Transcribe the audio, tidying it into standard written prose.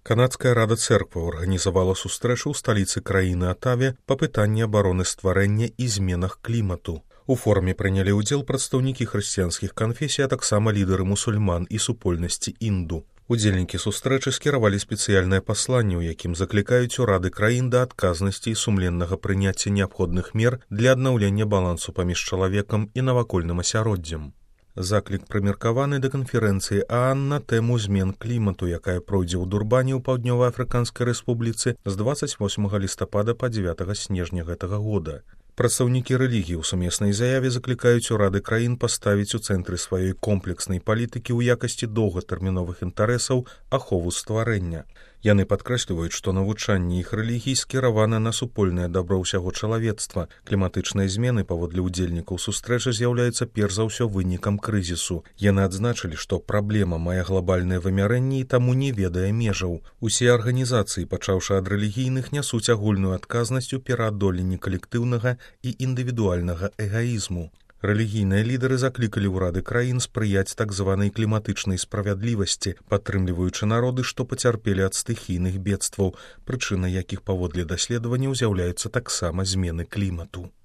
Канадская рада церкваў арганізавала сустрэчу ў сталіцы краіны Атаве па пытанні абароны стварэння і зменах клімату. У форуме прынялі ўдзел прадстаўнікі хрысціянскіх канфесій, а таксама лідары мусульман і супольнасці інду. Удзельнікі сустрэчы скіравалі спецыяльнае пасланне, у якім заклікаюць урады краін да адказнасці і сумленнага прыняцця неабходных мер для аднаўлення балансу паміж чалавекам і навакольным асяроддзем. Заклік прымеркаваны да канферэнцыі ААН на тэму змен клімату, якая пройдзе ў Дурбане ў Паўднёва-Афрыканскай рэспубліцы з 28 лістапада па 9 снежня гэтага года. Прадстаўнікі рэлігіі ў сумеснай заяве заклікаюць урады краін паставіць у цэнтры сваёй комплекснай палітыкі ў якасці доўгатэрміновых інтарэсаў ахову стварэння. Яны падкрэсліваюць, што навучанне іх рэлігій скіравана на супольнае дабро ўсяго чалавецтва. Кліматычныя змены, паводле ўдзельнікаў сустрэчы, з'яўляюцца перш за ўсё вынікам крызісу. Яны адзначылі, што праблема мае глабальнае вымярэнне і таму не ведае межаў. Усе арганізацыі, пачаўшы ад рэлігійных, нясуць агульную адказнасць у пераадоленні калектыўнага і індывідуальнага эгаізму. Рэлігійныя лідары заклікалі ўрады краін спрыяць так званай кліматычнай справядлівасці, падтрымліваючы народы, што пацярпелі ад стыхійных бедстваў, прычынай якіх паводле даследаванняў з'яўляюцца таксама змены клімату.